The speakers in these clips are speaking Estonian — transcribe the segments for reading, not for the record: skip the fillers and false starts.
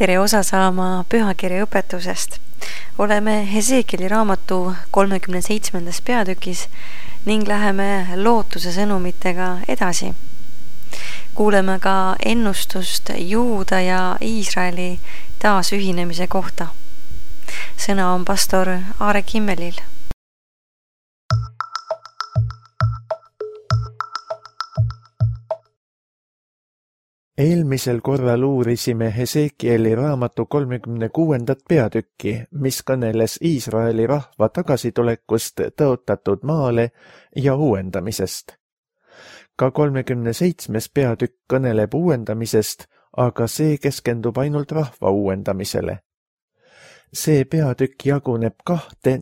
tere osa saama pühakirja õpetusest. Oleme Hesekieli raamatu 37. peatükis ning läheme lootuse sõnumitega edasi. Kuuleme ka ennustust Juuda ja Iisraeli taasühinemise kohta. Sõna on pastor Aare Kimmelil. Eelmisel korral uurisime Hesekieli raamatu 36. peatükki, mis kõneles Iisraeli rahva tagasitulekust tõotatud maale ja uuendamisest. Ka 37. peatükk kõneleb uuendamisest, aga see keskendub ainult rahva uuendamisele. See peatükk jaguneb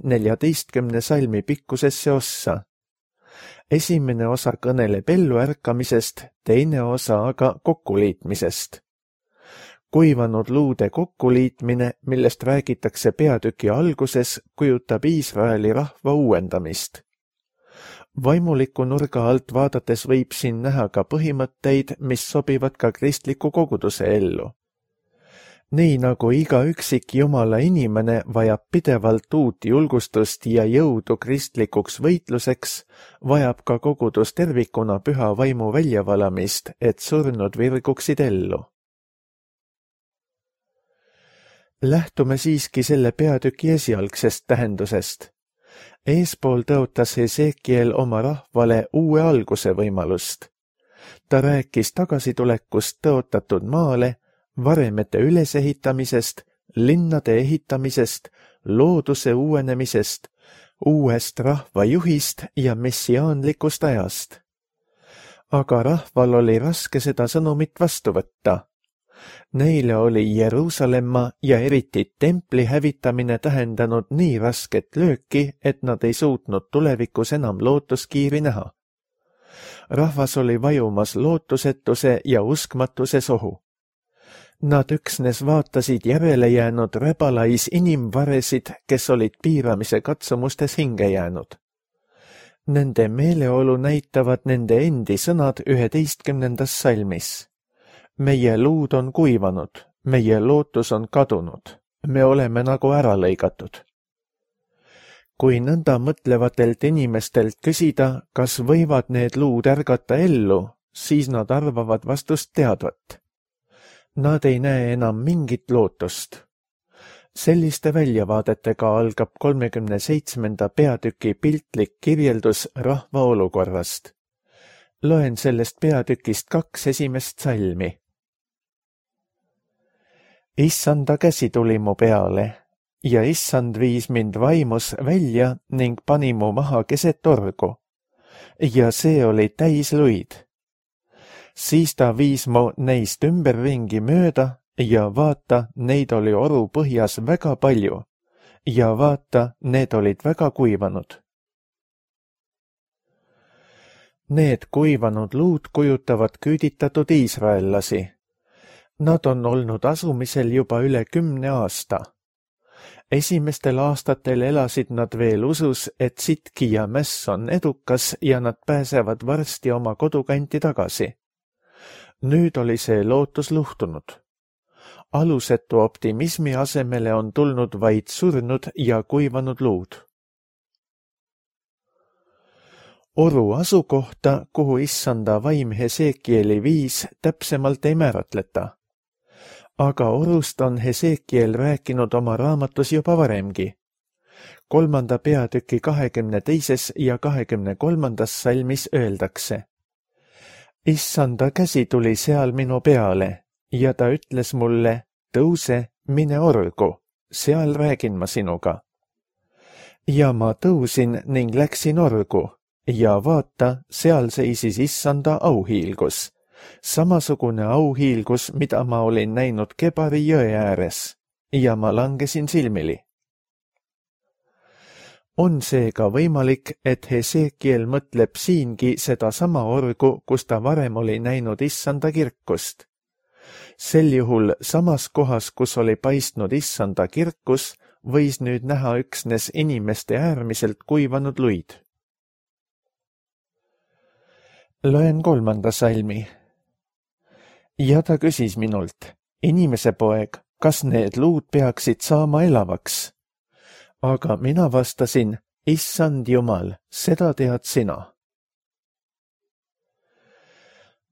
14 salmi pikkusesse ossa. Esimene osa kõneleb elluärkamisest, teine osa aga kokkuliitmisest. Kuivanud luude kokkuliitmine, millest räägitakse peatüki alguses, kujutab Iisraeli rahva uuendamist. Vaimuliku nurga alt vaadates võib siin näha ka põhimõtteid, mis sobivad ka kristliku koguduse ellu. Nii nagu iga üksik Jumala inimene vajab pidevalt uut julgustust ja jõudu kristlikuks võitluseks, vajab ka kogudus tervikuna püha vaimu väljavalamist, et surnud virguksid ellu. Lähtume siiski selle peatüki esialgsest tähendusest. Eespool tõotas Hesekiel oma rahvale uue alguse võimalust. Ta rääkis tagasitulekust tõotatud maale, varemete ülesehitamisest, linnade ehitamisest, looduse uuenemisest, uuest rahvajuhist ja messiaanlikust ajast. Aga rahval oli raske seda sõnumit vastu võtta. Neile oli Jeruusalemma ja eriti templi hävitamine tähendanud nii rasket lööki, et nad ei suutnud tulevikus enam lootuskiiri näha. Rahvas oli vajumas lootusetuse ja uskmatuse sohu. Nad üksnes vaatasid järele jäänud rebelais inimvaresid, kes olid piiramise katsumustes hinge jäänud. Nende meeleolu näitavad nende endi sõnad 11. salmis. Meie luud on kuivanud, meie lootus on kadunud, me oleme nagu ära lõigatud. Kui nõnda mõtlevatelt inimestelt küsida, kas võivad need luud ärgata ellu, siis nad arvavad vastust teadvat. Nad ei näe enam mingit lootust. Selliste väljavaadetega algab 37. peatüki piltlik kirjeldus rahva olukorrast. Loen sellest peatükist 2 esimest salmi. Issanda käsi tuli mu peale ja issand viis mind vaimus välja ning pani mu maha keset orgu. Ja see oli täis luid. Siis ta viis mu neist ümberringi mööda ja vaata, neid oli oru põhjas väga palju ja vaata, need olid väga kuivanud. Need kuivanud luud kujutavad küüditatud iisraellasi. Nad on olnud asumisel juba üle 10 aasta. Esimestel aastatel elasid nad veel usus, et sitki ja mäss on edukas ja nad pääsevad varsti oma kodukanti tagasi. Nüüd oli see lootus luhtunud. Alusetu optimismi asemele on tulnud vaid surnud ja kuivanud luud. Oru asukohta, kuhu issanda vaim Hesekieli viis, täpsemalt ei määratleta. Aga orust on Hesekiel rääkinud oma raamatus juba varemgi. 3. peatüki 22. ja 23. salmis öeldakse. Issanda käsi tuli seal minu peale ja ta ütles mulle, tõuse, mine orgu, seal räägin ma sinuga. Ja ma tõusin ning läksin orgu ja vaata, seal seisis issanda auhiilgus, samasugune auhiilgus, mida ma olin näinud Kebari jõe ääres ja ma langesin silmili. On seega võimalik, et Hesekiel mõtleb siingi seda sama orgu, kus ta varem oli näinud issanda kirkust. Sel juhul samas kohas, kus oli paistnud issanda kirkus, võis nüüd näha üksnes inimeste äärmiselt kuivanud luid. Loen 3. salmi. Ja ta küsis minult, inimese poeg, kas need luud peaksid saama elavaks? Aga mina vastasin, Issand Jumal, seda tead sina.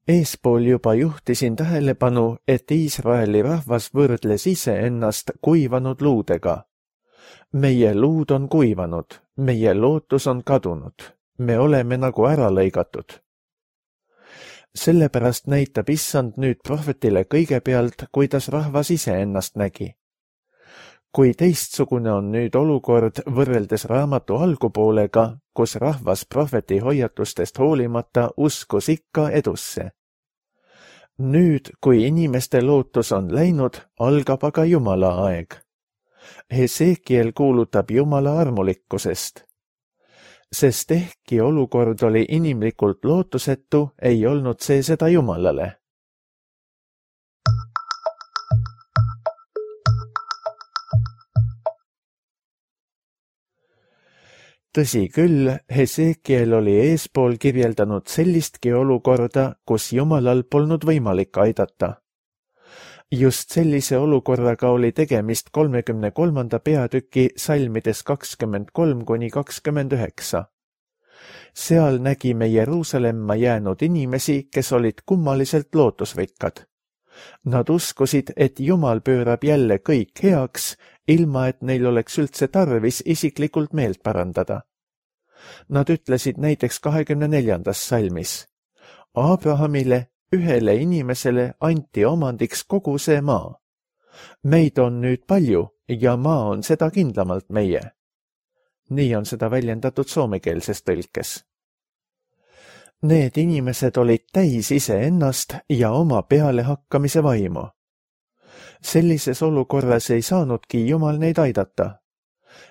Eespool juba juhtisin tähelepanu, et Iisraeli rahvas võrdles iseennast kuivanud luudega. Meie luud on kuivanud, meie lootus on kadunud, me oleme nagu ära lõigatud. Sellepärast näitab Issand nüüd prohvetile kõigepealt, kuidas rahvas iseennast nägi. Kui teistsugune on nüüd olukord võrreldes raamatu algupoolega, kus rahvas prohveti hoiatustest hoolimata uskus ikka edusse. Nüüd, kui inimeste lootus on läinud, algab aga Jumala aeg. Hesekiel kuulutab Jumala armulikkusest. Sest ehkki olukord oli inimlikult lootusetu, ei olnud see seda Jumalale. Tõsi küll, Hesekiel oli eespool kirjeldanud sellistki olukorda, kus Jumalal polnud võimalik aidata. Just sellise olukorraga oli tegemist 33. peatüki salmides 23–29. Seal nägime Jeruusalemma jäänud inimesi, kes olid kummaliselt lootusrikkad. Nad uskusid, et Jumal pöörab jälle kõik heaks, ilma et neil oleks üldse tarvis isiklikult meelt parandada. Nad ütlesid näiteks 24. salmis. Abrahamile, ühele inimesele anti omandiks kogu see maa. Meid on nüüd palju ja maa on seda kindlamalt meie. Nii on seda väljendatud soomekeelses tõlkes. Need inimesed olid täis iseennast ja oma pealehakkamise vaimu. Sellises olukorras ei saanudki Jumal neid aidata,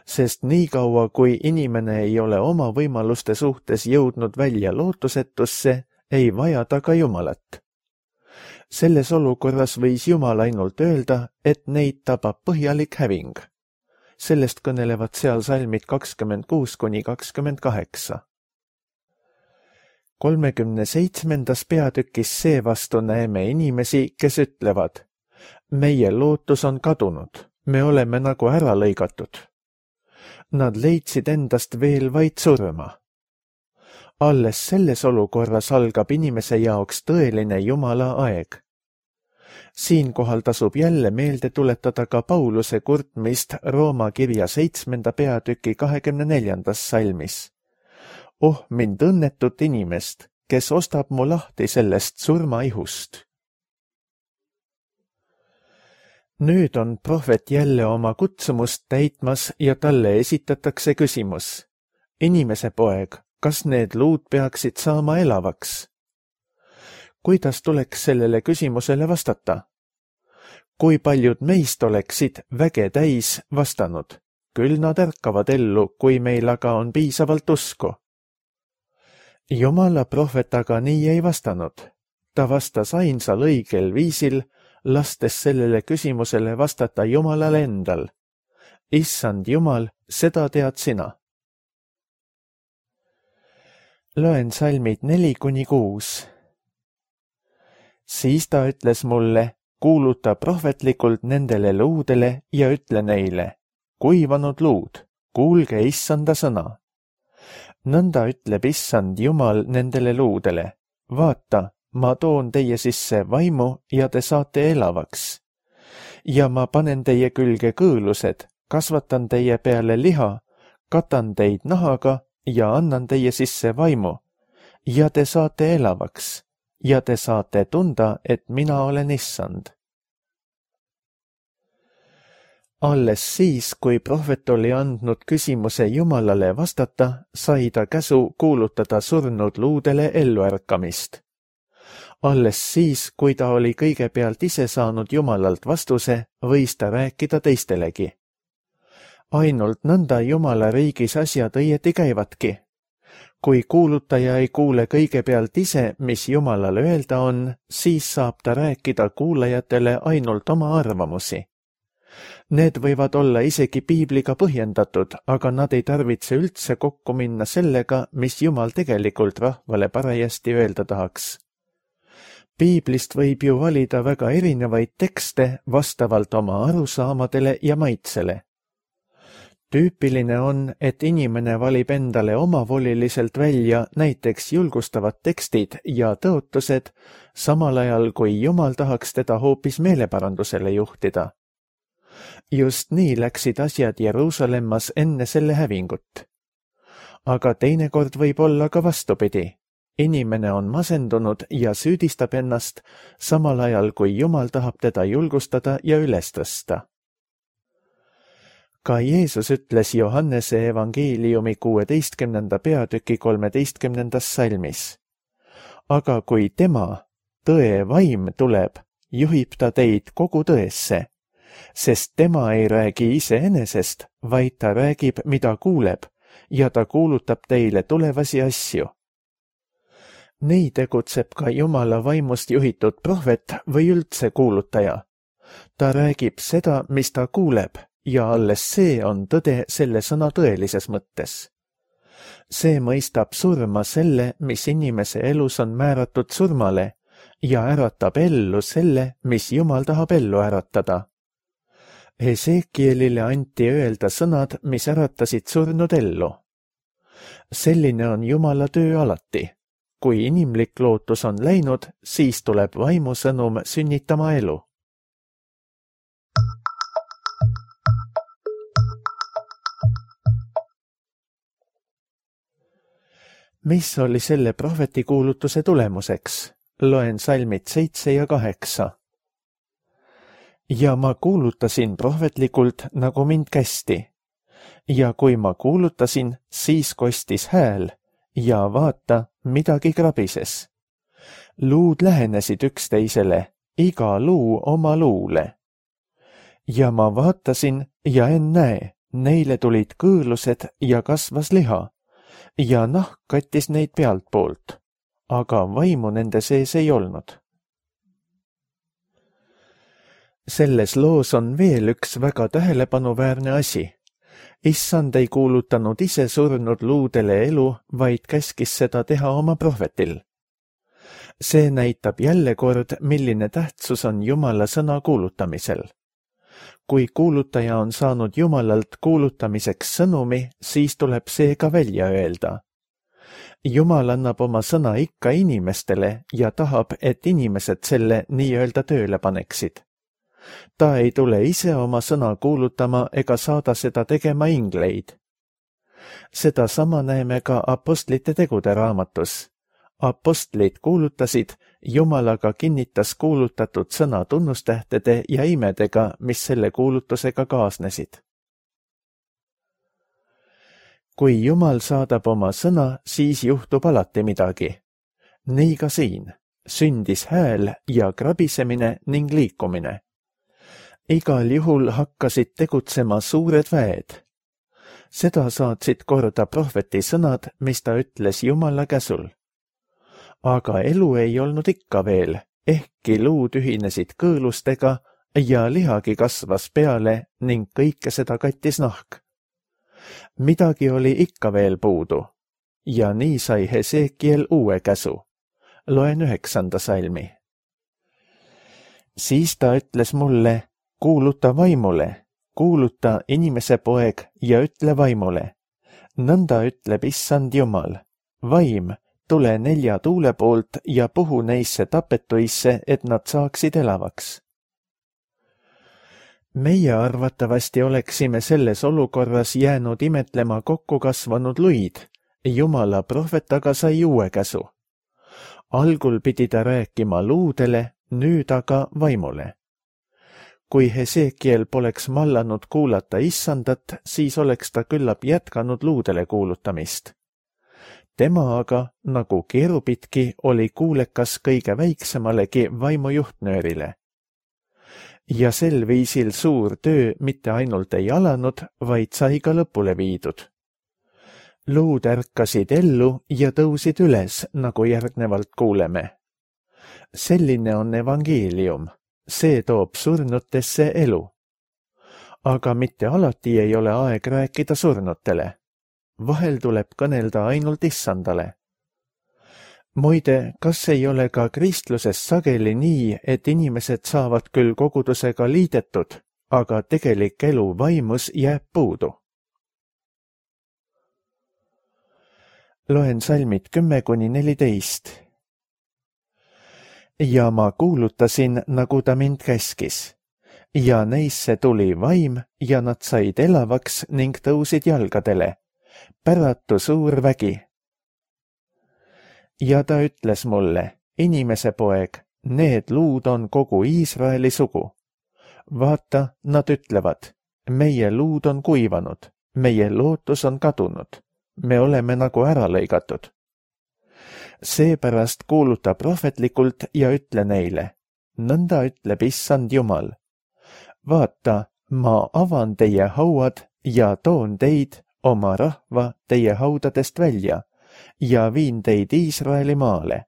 sest niikaua, kui inimene ei ole oma võimaluste suhtes jõudnud välja lootusetusse, ei vaja ta ka Jumalat. Selles olukorras võis Jumal ainult öelda, et neid tabab põhjalik häving. Sellest kõnelevad seal salmid 26–28. 37. peatükis seevastu näeme inimesi, kes ütlevad, meie lootus on kadunud, me oleme nagu ära lõigatud. Nad leidsid endast veel vaid surma. Alles selles olukorras algab inimese jaoks tõeline Jumala aeg. Siinkohal tasub jälle meelde tuletada ka Pauluse kurtmist Rooma kirja 7. peatüki 24. salmis. Oh, mind õnnetut inimest, kes ostab mu lahti sellest surmaihust. Nüüd on prohvet jälle oma kutsumust täitmas ja talle esitatakse küsimus. Inimese poeg, kas need luud peaksid saama elavaks? Kuidas tuleks sellele küsimusele vastata? Kui paljud meist oleksid väge täis vastanud? Küll nad ärkavad ellu, kui meil aga on piisavalt usku. Jumala prohvet aga nii ei vastanud. Ta vastas ainsal õigel viisil, lastes sellele küsimusele vastata Jumalale endal. Issand Jumal, seda tead sina. Loen salmid 4–6. Siis ta ütles mulle, kuuluta prohvetlikult nendele luudele ja ütle neile, kuivanud luud, kuulge Issanda sõna. Nõnda ütleb Issand Jumal nendele luudele, vaata, ma toon teie sisse vaimu ja te saate elavaks. Ja ma panen teie külge kõõlused, kasvatan teie peale liha, katan teid nahaga ja annan teie sisse vaimu. Ja te saate elavaks ja te saate tunda, et mina olen Issand. Alles siis, kui prohvet oli andnud küsimuse Jumalale vastata, sai ta käsu kuulutada surnud luudele elluärkamist. Alles siis, kui ta oli kõigepealt ise saanud Jumalalt vastuse, võis ta rääkida teistelegi. Ainult nõnda Jumala riigis asjad õieti käivadki. Kui kuulutaja ei kuule kõigepealt ise, mis Jumalale öelda on, siis saab ta rääkida kuulajatele ainult oma arvamusi. Need võivad olla isegi piibliga põhjendatud, aga nad ei tarvitse üldse kokku minna sellega, mis Jumal tegelikult rahvale parajasti öelda tahaks. Piiblist võib ju valida väga erinevaid tekste vastavalt oma arusaamadele ja maitsele. Tüüpiline on, et inimene valib endale omavoliliselt välja näiteks julgustavad tekstid ja tõotused, samal ajal kui Jumal tahaks teda hoopis meeleparandusele juhtida. Just nii läksid asjad Jeruusalemmas enne selle hävingut. Aga teinekord võib olla ka vastupidi. Inimene on masendunud ja süüdistab ennast, samal ajal kui Jumal tahab teda julgustada ja üles tõsta. Ka Jeesus ütles Johannese evangeeliumi 16. peatüki 13. salmis. Aga kui tema, tõe vaim tuleb, juhib ta teid kogu tõesse, sest tema ei räägi iseenesest, vaid ta räägib, mida kuuleb, ja ta kuulutab teile tulevasi asju. Nii tegutseb ka Jumala vaimust juhitud prohvet või üldse kuulutaja. Ta räägib seda, mis ta kuuleb, ja alles see on tõde selle sõna tõelises mõttes. See mõistab surma selle, mis inimese elus on määratud surmale, ja äratab ellu selle, mis Jumal tahab ellu äratada. Hesekielile anti öelda sõnad, mis äratasid surnud ellu. Selline on Jumala töö alati. Kui inimlik lootus on läinud, siis tuleb vaimusõnum sünnitama elu. Mis oli selle prohveti kuulutuse tulemuseks? Loen salmid 7 ja 8. Ja ma kuulutasin prohvetlikult, nagu mind kästi. Ja kui ma kuulutasin, siis kostis hääl ja vaata, midagi krabises. Luud lähenesid üksteisele, iga luu oma luule. Ja ma vaatasin ja ennäe, neile tulid kõõlused ja kasvas liha ja nahk kattis neid pealtpoolt, aga vaimu nende sees ei olnud. Selles loos on veel üks väga tähelepanuväärne asi. Issand ei kuulutanud ise surnud luudele elu, vaid käskis seda teha oma prohvetil. See näitab jälle kord, milline tähtsus on Jumala sõna kuulutamisel. Kui kuulutaja on saanud Jumalalt kuulutamiseks sõnumi, siis tuleb see ka välja öelda. Jumal annab oma sõna ikka inimestele ja tahab, et inimesed selle nii-öelda tööle paneksid. Ta ei tule ise oma sõna kuulutama ega saada seda tegema ingleid. Seda sama näeme ka apostlite tegude raamatus. Apostlid kuulutasid, Jumal aga kinnitas kuulutatud sõna tunnustähtede ja imedega, mis selle kuulutusega kaasnesid. Kui Jumal saadab oma sõna, siis juhtub alati midagi. Nii ka siin. Sündis hääl ja krabisemine ning liikumine. Igal juhul hakkasid tegutsema suured väed. Seda saatsid korda prohveti sõnad, mis ta ütles Jumala käsul. Aga elu ei olnud ikka veel, ehkki luud ühinesid kõõlustega ja lihagi kasvas peale ning kõike seda kattis nahk. Midagi oli ikka veel puudu ja nii sai Hesekiel uue käsu. Loen 9. salmi. Siis ta ütles mulle, kuuluta vaimule, kuuluta inimese poeg ja ütle vaimule. Nõnda ütleb Issand Jumal, vaim, tule 4 tuule poolt ja puhu neisse tapetuisse, et nad saaksid elavaks. Meie arvatavasti oleksime selles olukorras jäänud imetlema kokku kasvanud luid. Jumala prohvet aga sai uue käsu. Algul pidi ta rääkima luudele, nüüd aga vaimule. Kui Hesekiel poleks mallanud kuulata Issandat, siis oleks ta küllap jätkanud luudele kuulutamist. Tema aga, nagu keerupitki, oli kuulekas kõige väiksemalegi vaimujuhtnöörile. Ja sel viisil suur töö mitte ainult ei alanud, vaid sai ka lõpule viidud. Luud ärkasid ellu ja tõusid üles, nagu järgnevalt kuuleme. Selline on evangeelium. See toob surnutesse elu. Aga mitte alati ei ole aeg rääkida surnutele. Vahel tuleb kõnelda ainult Issandale. Muide, kas ei ole ka kristluses sageli nii, et inimesed saavad küll kogudusega liidetud, aga tegelik elu vaimus jääb puudu? Loen salmid 10–14. Ja ma kuulutasin, nagu ta mind käskis. Ja neisse tuli vaim ja nad said elavaks ning tõusid jalgadele. Päratu suur vägi. Ja ta ütles mulle, inimese poeg, need luud on kogu Iisraeli sugu. Vaata, nad ütlevad, meie luud on kuivanud, meie lootus on kadunud. Me oleme nagu ära lõigatud. Seepärast kuuluta prohvetlikult ja ütle neile, nõnda ütleb Issand Jumal. Vaata, ma avan teie hauad ja toon teid, oma rahva, teie haudadest välja ja viin teid Iisraeli maale.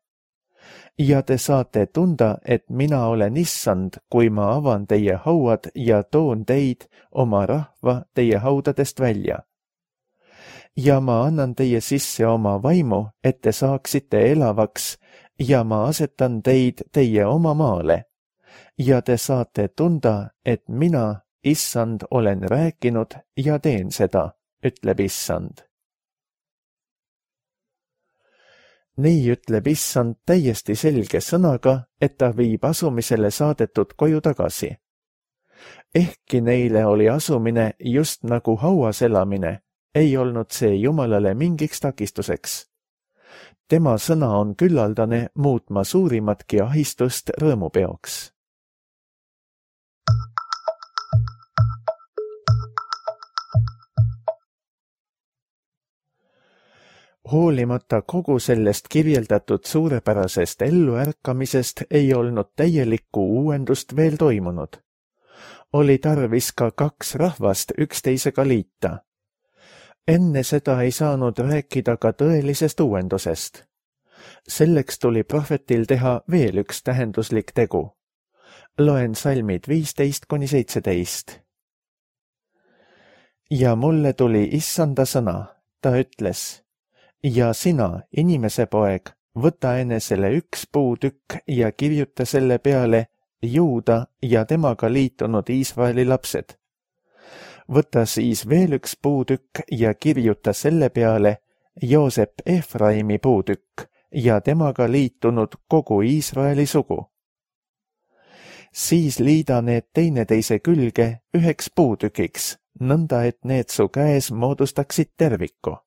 Ja te saate tunda, et mina olen Issand, kui ma avan teie hauad ja toon teid, oma rahva, teie haudadest välja. Ja ma annan teie sisse oma vaimu, et te saaksite elavaks, ja ma asetan teid teie oma maale. Ja te saate tunda, et mina, Issand, olen rääkinud ja teen seda, ütleb Issand. Nii ütleb Issand täiesti selge sõnaga, et ta viib asumisele saadetud koju tagasi. Ehkki neile oli asumine just nagu hauas elamine, ei olnud see Jumalale mingiks takistuseks. Tema sõna on küllaldane muutma suurimatki ahistust rõõmupeoks. Hoolimata kogu sellest kirjeldatud suurepärasest elluärkamisest ei olnud täielikku uuendust veel toimunud. Oli tarvis ka 2 rahvast üksteisega liita. Enne seda ei saanud rääkida ka tõelisest uuendusest. Selleks tuli prohvetil teha veel üks tähenduslik tegu. Loen salmid 15–17. Ja mulle tuli Issanda sõna, ta ütles, ja sina, inimese poeg, võta enesele 1 puutükk ja kirjuta selle peale Juuda ja temaga liitunud Iisraeli lapsed. Võta siis veel 1 puutükk ja kirjuta selle peale Joosep Efraimi puutükk ja temaga liitunud kogu Iisraeli sugu. Siis liida need teineteise külge 1 puutükiks, nõnda et need su käes moodustaksid terviku.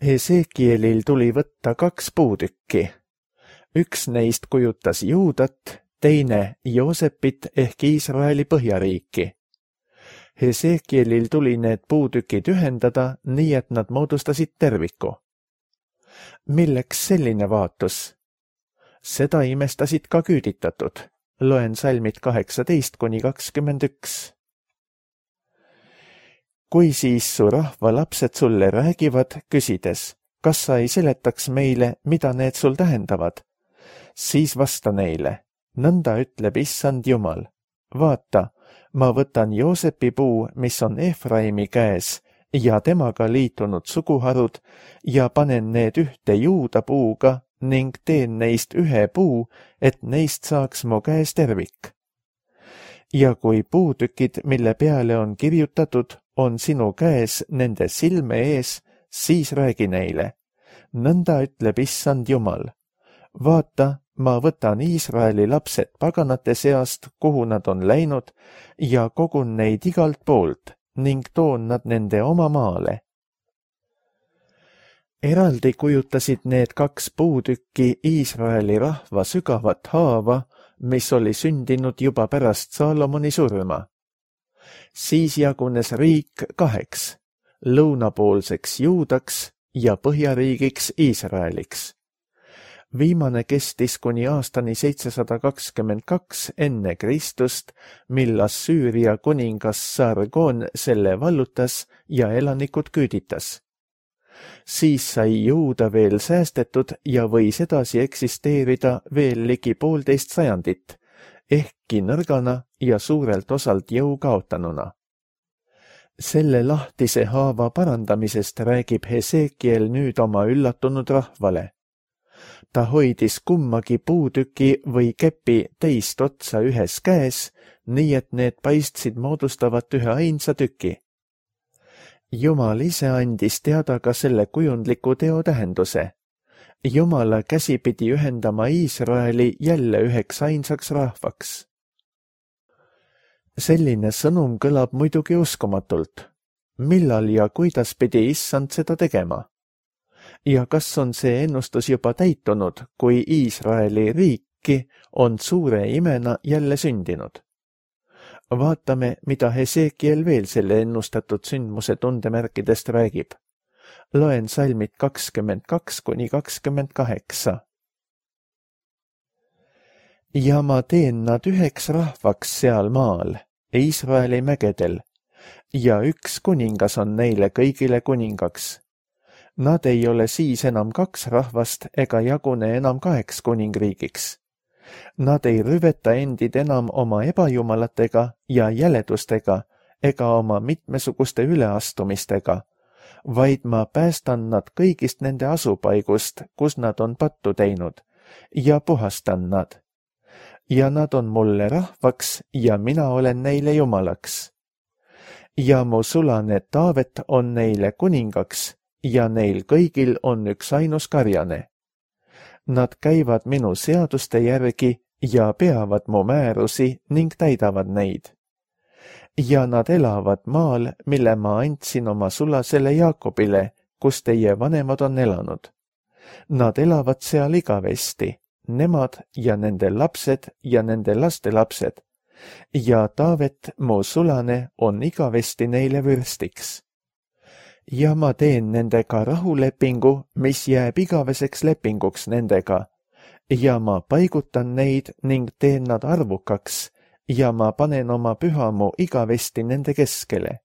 Hesekielil tuli võtta 2 puutükki. 1 neist kujutas Juudat, teine Joosepit ehk Iisraeli põhjariiki. Hesekielil tuli need puutükid ühendada, nii et nad moodustasid terviku. Milleks selline vaatus? Seda imestasid ka küüditatud. Loen salmid 18–21. Kui siis su rahva lapsed sulle räägivad, küsides, kas sa ei seletaks meile, mida need sul tähendavad? Siis vasta neile. Nõnda ütleb Issand Jumal. Vaata, ma võtan Joosepi puu, mis on Efraimi käes, ja temaga liitunud suguharud, ja panen need ühte Juuda puuga ning teen neist 1 puu, et neist saaks mu käes tervik. Ja kui puutükid, mille peale on kirjutatud, on sinu käes nende silme ees, siis räägi neile. Nõnda ütleb Issand Jumal. Vaata, ma võtan Iisraeli lapsed paganate seast, kuhu nad on läinud, ja kogun neid igalt poolt ning toon nad nende oma maale. Eraldi kujutasid need 2 puutükki Iisraeli rahva sügavat haava, mis oli sündinud juba pärast Saalomoni surma. Siis jagunes riik 2, lõunapoolseks Juudaks ja põhjariigiks Iisraeliks. Viimane kestis kuni aastani 722 enne Kristust, mil Assüüria kuningas Sargon selle vallutas ja elanikud küüditas. Siis sai Juuda veel säästetud ja võis edasi eksisteerida veel ligi 1,5 sajandit, ehkki nõrgana ja suurelt osalt jõu kaotanuna. Selle lahtise haava parandamisest räägib Hesekiel nüüd oma üllatunud rahvale. Ta hoidis kummagi puutüki või kepi teist otsa ühes käes, nii et need paistsid moodustavat ühe ainsa tüki. Jumal ise andis teada ka selle kujundliku teo tähenduse. Jumala käsi pidi ühendama Iisraeli jälle üheks ainsaks rahvaks. Selline sõnum kõlab muidugi uskumatult. Millal ja kuidas pidi issand seda tegema? Ja kas on see ennustus juba täitunud, kui Iisraeli riiki on suure imena jälle sündinud? Vaatame, mida Hesekiel veel selle ennustatud sündmuse tundemärkidest räägib. Loen salmid 22–28. Ja ma teen nad üheks rahvaks seal maal, Iisraeli mägedel, ja üks kuningas on neile kõigile kuningaks. Nad ei ole siis enam kaks rahvast ega jagune enam kaheks kuningriigiks. Nad ei rüveta endid enam oma ebajumalatega ja jäledustega ega oma mitmesuguste üleastumistega, vaid ma päästan nad kõigist nende asupaigust, kus nad on pattu teinud, ja puhastan nad. Ja nad on mulle rahvaks ja mina olen neile jumalaks. Ja mu sulane Taavet on neile kuningaks ja neil kõigil on üks ainus karjane. Nad käivad minu seaduste järgi ja peavad mu määrusi ning täidavad neid. Ja nad elavad maal, mille ma andsin oma sulasele Jaakobile, kus teie vanemad on elanud. Nad elavad seal igavesti, nemad ja nende lapsed ja nende lastelapsed. Ja Taavet, mu sulane, on igavesti neile vürstiks. Ja ma teen nendega rahulepingu, mis jääb igaveseks lepinguks nendega, ja ma paigutan neid ning teen nad arvukaks, ja ma panen oma pühamu igavesti nende keskele.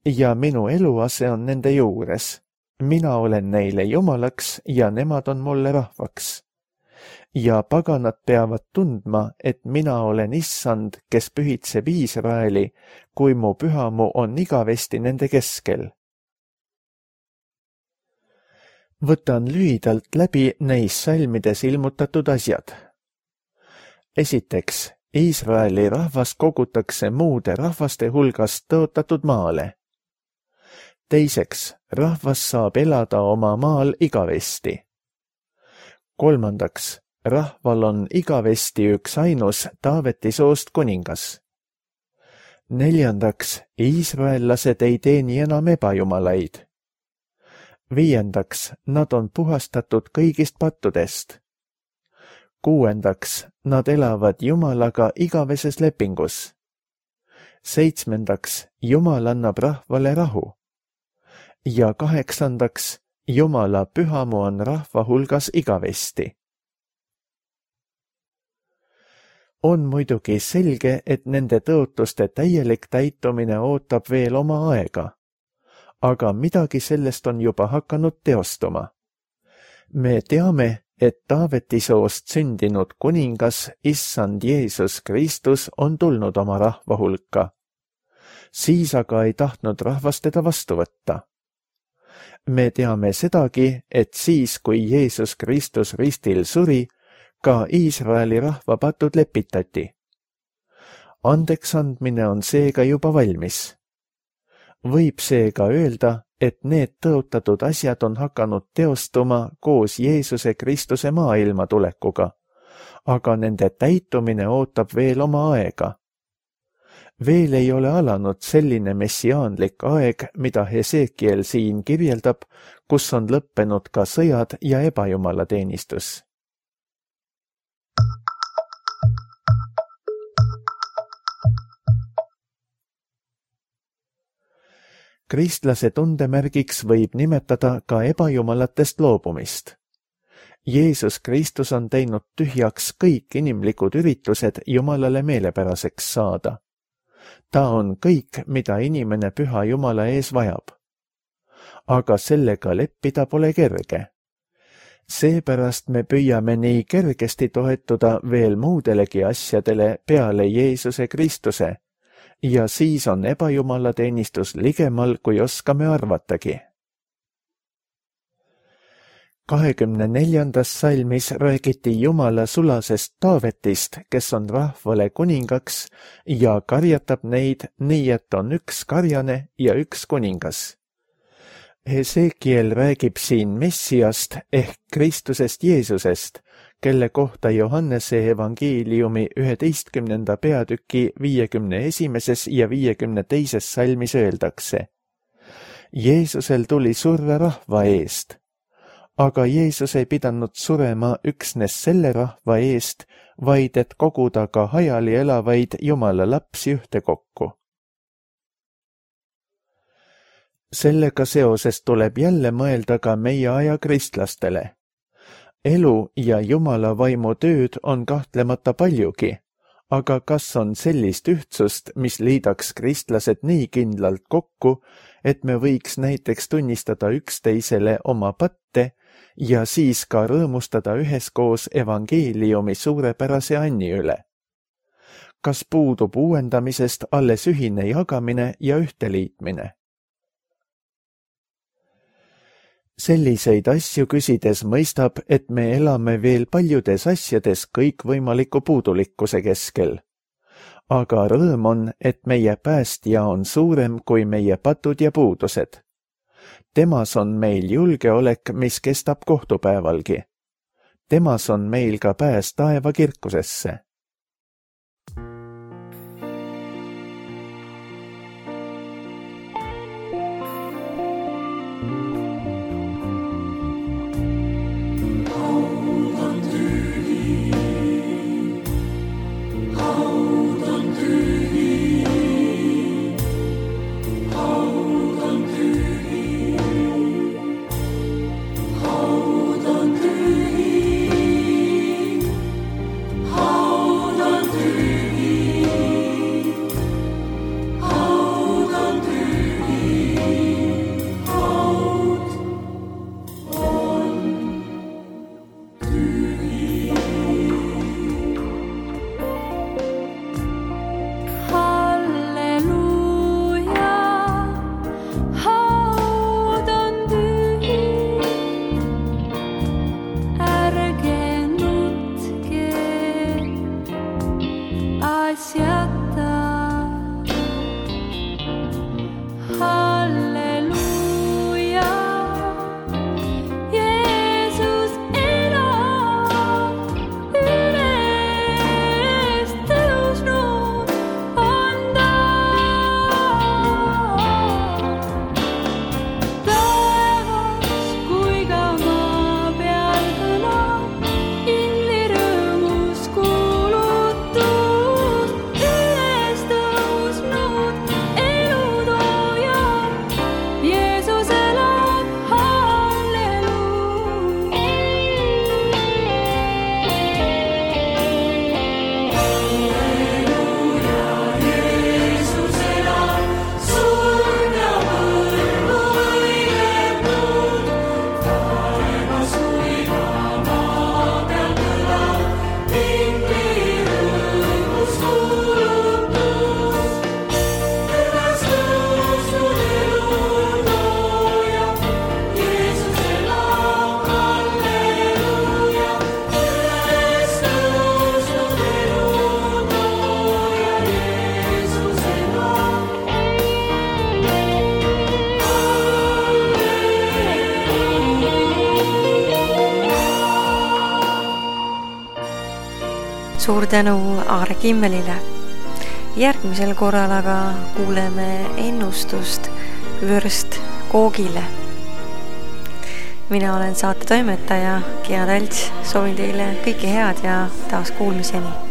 Ja minu eluase on nende juures, mina olen neile jumalaks ja nemad on mulle rahvaks. Ja paganad peavad tundma, et mina olen issand, kes pühitseb Iisraeli, kui mu pühamu on igavesti nende keskel. Võtan lühidalt läbi neis salmides ilmutatud asjad. Esiteks, Iisraeli rahvas kogutakse muude rahvaste hulgast tõotatud maale. Teiseks, rahvas saab elada oma maal igavesti. Kolmandaks, rahval on igavesti üks ainus Taaveti soost kuningas. Neljandaks, iisraellased ei teeni enam ebajumalaid. Viiendaks, nad on puhastatud kõigist pattudest. Kuuendaks, nad elavad Jumalaga igaveses lepingus. Seitsmendaks, Jumal annab rahvale rahu. Ja kaheksandaks, Jumala pühamu on rahva hulgas igavesti. On muidugi selge, et nende tõotuste täielik täitumine ootab veel oma aega. Aga midagi sellest on juba hakanud teostuma. Me teame, et Taaveti soost sündinud kuningas, issand Jeesus Kristus, on tulnud oma rahva hulka. Siis aga ei tahtnud rahvas teda vastu võtta. Me teame sedagi, et siis, kui Jeesus Kristus ristil suri, ka Iisraeli rahva patud lepitati. Andeks andmine on seega juba valmis. Võib seega öelda, et need tõotatud asjad on hakanud teostuma koos Jeesuse Kristuse maailma tulekuga, aga nende täitumine ootab veel oma aega. Veel ei ole alanud selline messiaanlik aeg, mida Hesekiel siin kirjeldab, kus on lõppenud ka sõjad ja ebajumalateenistus. Kristlase tundemärgiks võib nimetada ka ebajumalatest loobumist. Jeesus Kristus on teinud tühjaks kõik inimlikud üritused Jumalale meelepäraseks saada. Ta on kõik, mida inimene püha Jumala ees vajab. Aga sellega leppida pole kerge. Seepärast me püüame nii kergesti toetuda veel muudelegi asjadele peale Jeesuse Kristuse ja siis on ebajumalateenistus ligemal, kui oskame arvatagi. 24. salmis räägiti Jumala sulasest Taavetist, kes on rahvale kuningaks ja karjatab neid nii, et on üks karjane ja üks kuningas. Hesekiel räägib siin Messiast ehk Kristusest Jeesusest, kelle kohta Johannese evangeeliumi 11. peatüki 51. ja 52. salmis öeldakse. Jeesusel tuli surra rahva eest, aga Jeesus ei pidanud surema üksnes selle rahva eest, vaid et koguda ka hajali elavaid Jumala lapsi ühtekokku. Sellega seoses tuleb jälle mõelda ka meie aja kristlastele. Elu ja Jumala vaimu tööd on kahtlemata paljugi, aga kas on sellist ühtsust, mis liidaks kristlased nii kindlalt kokku, et me võiks näiteks tunnistada üksteisele oma patte ja siis ka rõõmustada üheskoos evangeeliumi suurepärase anni üle? Kas puudub uuendamisest alles ühine jagamine ja ühteliitmine? Selliseid asju küsides mõistab, et me elame veel paljudes asjades kõikvõimaliku puudulikkuse keskel. Aga rõõm on, et meie päästja on suurem kui meie patud ja puudused. Temas on meil julgeolek, mis kestab kohtupäevalgi. Temas on meil ka pääs taeva kirkusesse. Suur tänu Aare Kimmelile. Järgmisel korral aga kuuleme ennustust vürst koogile. Mina olen saate toimetaja Gea Talts, soovin teile kõike head ja taas kuulmiseni.